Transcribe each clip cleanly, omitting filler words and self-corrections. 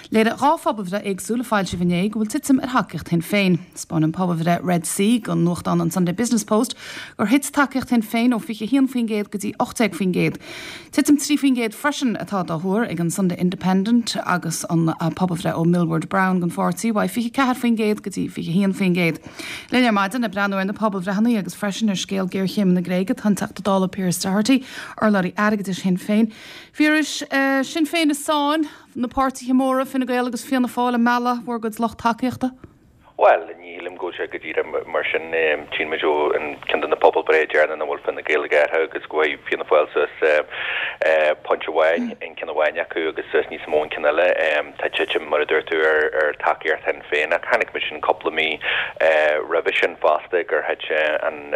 Léirigh 2 phobalbhreith éagsúil a foilsíodh inné go bhfuil titim ar thacaíocht Shinn Féin. 'Spáin an pobalbhreith Red C don nuachtán an Sunday Business Post gur thit tacaíocht Shinn Féin ó 21% go dtí 18%. Titim 3% freisin atá dá thuar ag an Sunday Independent agus an pobalbhreith ó Millward Brown don pháirtí uaidh 24% go dtí 21%. Linn ar maidin ag breathnú ar na pobalbhreitheanna agus freisin ar scéal géarchéime na Gréige tá an Teachta Dála Pearse Doherty, urlabhraí airgeadais Shinn Féin. Phiarais, Sinn Féin i sáinn, na páirtithe móra, Fine Gael agus Fianna Fáil ag mealladh bhur gcuid lucht tacaíochta? Bhuel, ní shílim go bhfuil sé go díreach mar sin. Tchíonn muid ó cheann de na pobalbhreith deireanach nach bhfuil Fine Gael ag athrú agus go bhfuil Fianna Fáil suas pointe amháin in ceann amháin acu agus suas níos mó in ceann eile. Tá titim, mar a dúirt tú, ar tacaíocht Shinn Féin ach chonaic muid sin cúpla mí roimhe sin fosta gur thit an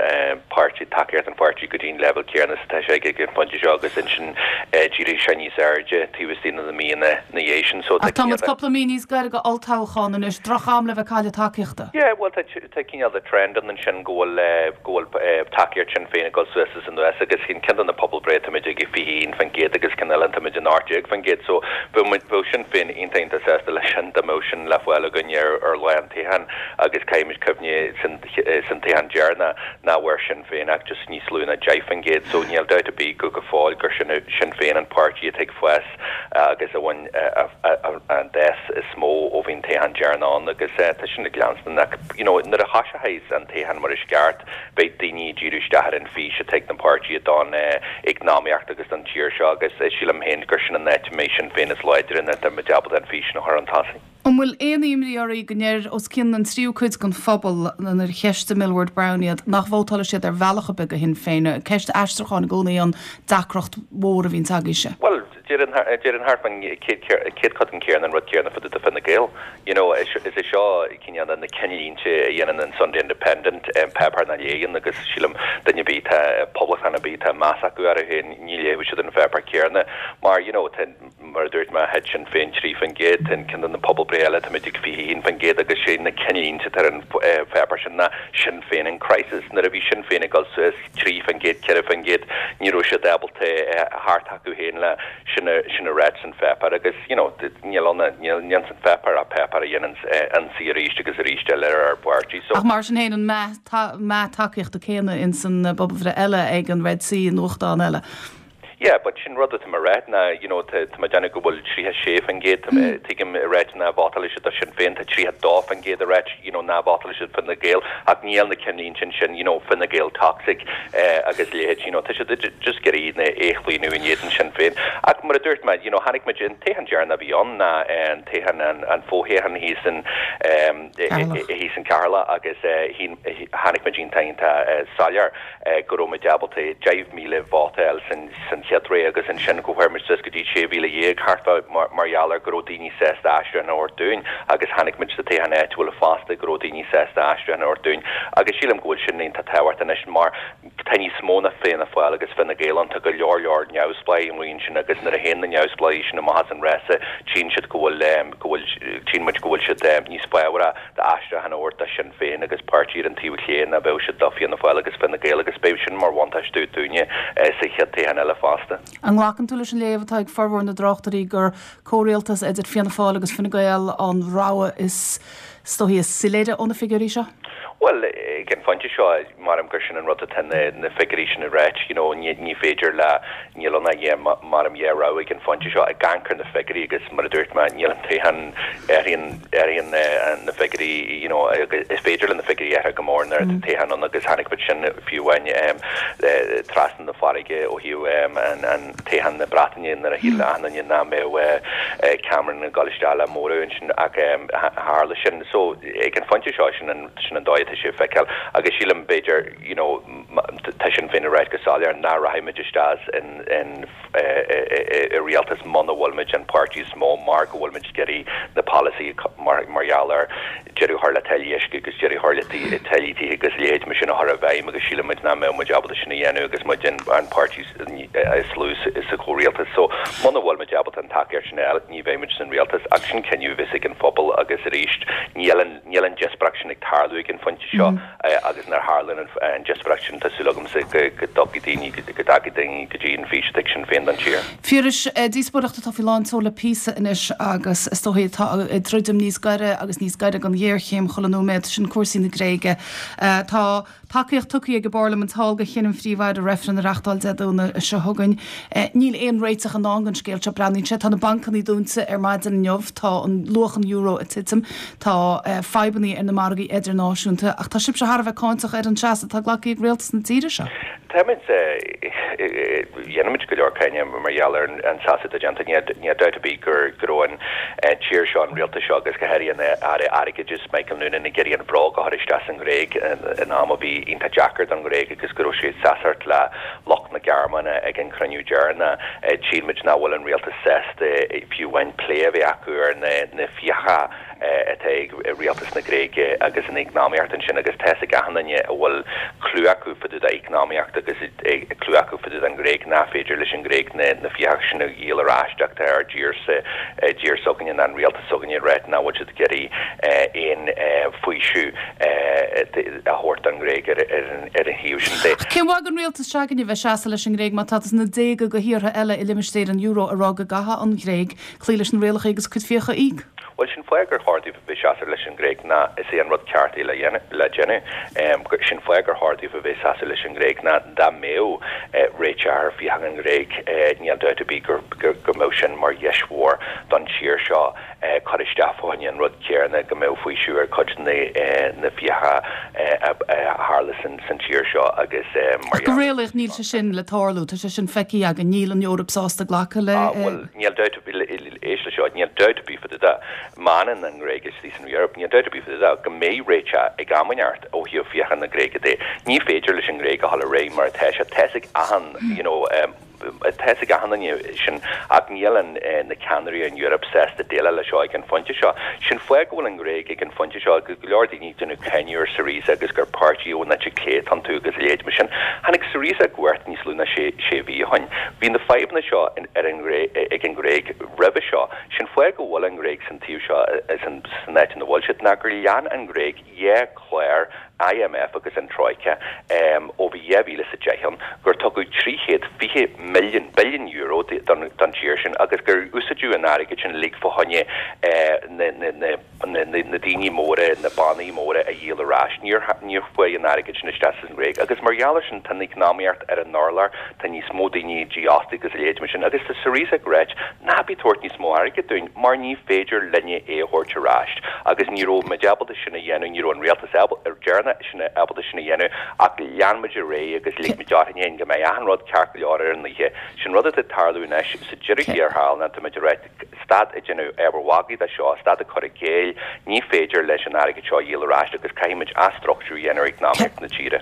páirtí, tacaíocht an pháirtí go dtí an leibhéal céanna is atá sé ag an phointe seo agus ansin d'éirigh sé níos airde taobh istigh de na míonna ina dhiaidh sin. So tá Ach tá muid cúpla mí níos gaire go olltoghchán anois, droch-am le bheith ag cailleadh tacaíochta. Yeah, bhuel tá tá cineál de trend ann ansin go bhfuil go bhfuil tacaíocht Sinn Féin ag dul suas is anuas agus in ceann de na pobalbhreith táimid ag 21% agus ceann eile táimid in 18% so bheadh muid bheadh Sinn Féin iontach iontach sásta leis sin dá mbeadh sin le fáil againn ar ar lá an toghcháin agus caithfimid cuimhneamh san san toghchán deireanach nach bhfuair Sinn Féin ach just níos lú ná 10% so níl dabht ar bith go go fóill gur sin Sinn Féin an páirtí atá ag fás agus a bhain an fás is mó ó bhí an toghchán deireanach ann agus tá sin ag leanstan ach you know nuair a thoiseochas an toghchán mar is ceart beidh daoine ag díriú isteach ar an fís atá ag na páirtithe don eacnamaíocht agus don tír seo agus sílim féin gur sin an áit a mbeidh Sinn Féin is láidre nuair atá muid ábalta an fís sin a chur chun tosaigh. An bhfuil aon imní oraibh go ndeir os cionn an tríú cuid den phobal, nuair a cheistigh Millward Brown iad, nach vótálfaidh siad ar bhealach ar bith do Shinn Féin? Ceist aistriúcháin i gcónaí an deacracht mhór a bhíonns agaibhse. Bhuel, déarfainn thart fán chéad chodann céanna an rud céanna fá dtaobh de Fine Gael. You know, is é seo cineál na cinnlínte a dhéanann an Sunday Independent, páipéar nach léann agus sílim duine ar bith atá, poblachtánach ar bith atá meas acu orthu féin, ní léifidh siad an pháipéar céanna mar, you know, tá, Mar a dúirt mé, thit Sinn Féin 3%, in ceann de na pobalbhreith eile táimid ag 21% agus sé na cinnlínte atá ar an pháipéar sin ná Sinn Féin in crisis. Nuair a bhí Sinn Féin ag dul suas 3%, 4%, ní raibh siad ábalta theacht acu féin le sin a sin a ráit san pháipéar agus you know níl ann níl níl san pháipéar ach páipéar a dhéanann ionsaí arís agus arís eile ar ár bpáirtí. So. Ach mar sin féin an meath meath tacaíochta céanna ins an bpobalbhreith eile ag an Red C, an nuachtán eile. Yeah, but sin rud atá mé a ráit ná, you know, tá tá mé ag déanamh go bhfuil 36%, tá mé, tuigim ag ráit nach vótálfaidh siad do Sinn Féin, tá 32% ag ráit, you know, nach vótálfaidh siad Fine Gael, ach níl na cinnlínte ansin, you know, Fine Gael toxic, eh, agus leithéid, you know, tá siad just ag iarraidh é a chlaonadh in éadan Sinn Féin. Ach mar a dúirt mé, you know, chonaic muid an toghchán deireanach a bhí ann ná an toghchán, an an fothoghchán thíos in, eh, thíos in Ceatharlach agus, eh, chonaic muid iontach iontach, eh, soiléir. go raibh muid ábalta 10,000 vóta a fháil san chéad ré agus ansin go bhfuair muid suas go dtí 16,000 thart fá mar gheall ar go raibh daoine sásta aistriúchán a thabhairt dúinn agus chonaic muid sa toghchán áitiúil fosta go raibh daoine sásta aistriúchán a thabhairt dúinn agus sílim go bhfuil sin iontach tábhachtach anois mar tá níos mó ná Fianna Fáil agus Fine Gael ann, tá go leor leor neamhspleáigh amuigh ansin agus nuair a théann na neamhspleáigh sin amach as an rása tchíonn siad go bhfuil go bhfuil tchíonn muid go bhfuil siad níos fábharaí d'aistriúchán a thabhairt do Shinn Féin agus páirtí ar an taobh chlé ná bheadh siad do Fianna Fáil agus Fine Gael agus beidh sin mar bhuntáiste dúinne sa chéad toghchán eile fosta. An nglacann tú leis an léamh atá ag formhór na dtráchtairí gur comhrialtas idir Fianna Fáil agus Fine Gael an rogha is dóichí is soiléire ó na figiúirí seo? Bhuel, ag an phointe seo, maram gur sin an rud atá na figiúirí sin ag ráit, you know, ní féidir le, níl ann ach maram dhá rogha ag an phointe seo, ag amharc ar na figiúirí agus mar a dúirt mé, níl an toghchán, athraíonn, athraíonn na figiúirí, you know, is féidir le na figiúirí athrú go mór nuair atá toghchán ann agus chonaic muid sin fiú amháin trasna na farraige ó thaobh an toghchán na Breataine nuair a shíl achan duine nach mbeadh Cameron ag dul isteach le móramh ansin ach tharla sin. So ag an phointe seo sin an, sin an dóigh atá sé ag feiceáil agus sílim b'fhéidir, you know, tá Sinn Féin ag ráit go soiléir nach rachaidh muid isteach in, in, i rialtas muna bhfuil muid an páirtí is mó mar go bhfuil muid ag iarraidh na polasaithe mar, mar gheall ar deireadh a chur le táillí uisce agus deireadh a chur le táillí tithe agus a leithéid mar sin a chur i bhfeidhm agus sílim muid nach mbeadh muid ábalta sin a dhéanamh agus muid an, an páirtí is lú sa chomhrialtas. So muna bhfuil muid ábalta an tacaíocht sin a fháil ní bheidh muid san rialtas ach sin cinneadh a bheas ag an phobal agus arís níl an, níl an díospóireacht. díospóireacht sin ag tarlú ag an phointe seo agus nuair a tharlaíonn an díospóireacht sin tá súil agamsa go dtiocfaidh daoine, go dtagfaidh daoine go dtí an fís atá ag Sinn Féin don tír. Phiarais, díospóireacht atá faoi lán tseoil le píosa anois agus is dóigh atá ag druidim níos gaire agus níos gaire don ghéarchéim chuile nóiméad, sin cúrsaí na Gréige. Tá. Tacaíocht tugtha ag an bParlaimint thall do chinneadh an Phríomh-Aire reifreann a reachtáil Dé Domhnaigh seo chugainn. Níl aon réiteach i ndán don scéal seo, breathnaíonn sé. Tá na bancanna dúnta ar maidin inniu, tá an luach an euro ag titim, tá fadhbanna ar na margaí idirnáisiúnta ach tá sibhse thar a bheith cáinteach ar an seasamh atá glactha ag rialtas na tíre seo. Táimid, dhéanaimid go leor cáineadh mar gheall ar an seasamh atá déanta. Níl dabht ar bith go raibh an tír seo, an rialtas seo agus go háirithe an Aire Airgeadais, Michael Noonan ag iarraidh an bhróg a chur isteach sa nGréig in am a bhí iontach deacair don Ghréig agus go raibh siad ag seasamh le lucht na Gearmáine ag an chruinniú deireanach. Sílimid nach bhfuil an rialtas sásta fiú amháin plé a bheith acu ar na fiacha atá ag rialtas na Gréige agus an eacnamaíocht ansin agus tá fhios ag achan duine a bhfuil clue acu fá dtaobh d'eacnamaíocht agus clue acu fá dtaobh den Ghréig nach féidir leis an Ghréig na fiacha sin a dhíol ar ais ach tá ár dtír-sa, tír s'againne ná an rialtas s'againne ag ráit nach bhfuil siad ag iarraidh aon faoiseamh a thabhairt don Ghréig ar an thaobh sin de. Cén mhaith don rialtas s'againne bheith ag seasamh leis an nGréig má tá na déaga de thíortha eile i limistéar an euro ag rá go gcaithfidh an Ghréig cloí leis na rialacha agus a cuid fiacha a íoc? Bhuel, sin fáth gur chóir daofa bheith seasamh leis an nGréig ná is é an rud ceart é le déanamh. Sin fáth gur chóir daofa bheith seasamh leis an nGréig ná dá mbeadh réiteach ar fiacha an Ghréig níl dabht ar bith go mbeadh sin mar dheis mhór don tír seo cur isteach fá choinne an rud céanna, go mbeadh faoiseamh ar cuid de na fiacha a tharla san tír seo agus mar Ach go réalaíoch níl sé sin le tarlú, tá sé sin feicthe againn, níl an Eoraip sásta glacadh le. Bhuel, níl dabht ar bith, éist leis seo, níl dabht ar bith fá dtaobh de, má fhanann an Ghréig istigh san Eoraip, níl dabht ar bith fá dtaobh de go mbeidh réiteach ag am inteacht ó thaobh fiacha na Gréige de. Ní féidir leis an nGréig a dhul ar aghaidh mar atá sé. Tá's ag achan, you know, tá's ag achan duine sin ach níl an, na ceannairí in Eoraip sásta déileáil leis seo ag an phointe seo. Sin fáth go bhfuil an Ghréig ag an phointe seo agus go leor daoine ag déanamh cáineadh ar Syriza agus gur páirtí ón eite chlé atá iontu agus a leithéid mar sin. Tháinig Syriza i gcumhacht níos lú ná sé mhí ó shin. Bhí na fadhbanna seo ar an ag an nGréig roimhe seo. Sin fáth go bhfuil an Ghréig san taobh seo, san áit ina bhfuil siad, ná gur lean an Ghréig 2 chlár IMF agus an Troika ó bhí 2010 ann, gur tugadh 320 milliún, billiún euro don tír sin agus gur úsáideadh an airgead sin uilig fá choinne na na daoine móra, na bannaí móra a dhíol ar ais. Níor níor chuaigh an airgead sin isteach san Ghréig agus mar gheall ar sin tá an eacnamaíocht ar an urlár, tá níos mó daoine dífhostaithe agus a leithéid mar sin agus tá Syriza ag ráit ná bí ag tabhairt níos mó airgid dúinn mar ní féidir linne é a thabhairt ar ais agus ní raibh muid ábalta sin a dhéanamh, ní raibh an rialtas deireanach sin ábalta sin a dhéanamh ach lean muid ar aghaidh agus lig muid orainn féin go mbeidh achan rud ceart go leor ar an oíche. Sin rud atá ag tarlú anois sa deireadh thiar thall ná tá muid ag ráit Stad ag déanamh ábhar magaidh de seo, stad ag cur i gcéill, ní féidir leis an airgead seo a dhíol ar ais agus caithfidh muid athstruchtúrú a dhéanamh ar eacnamaíocht na tíre.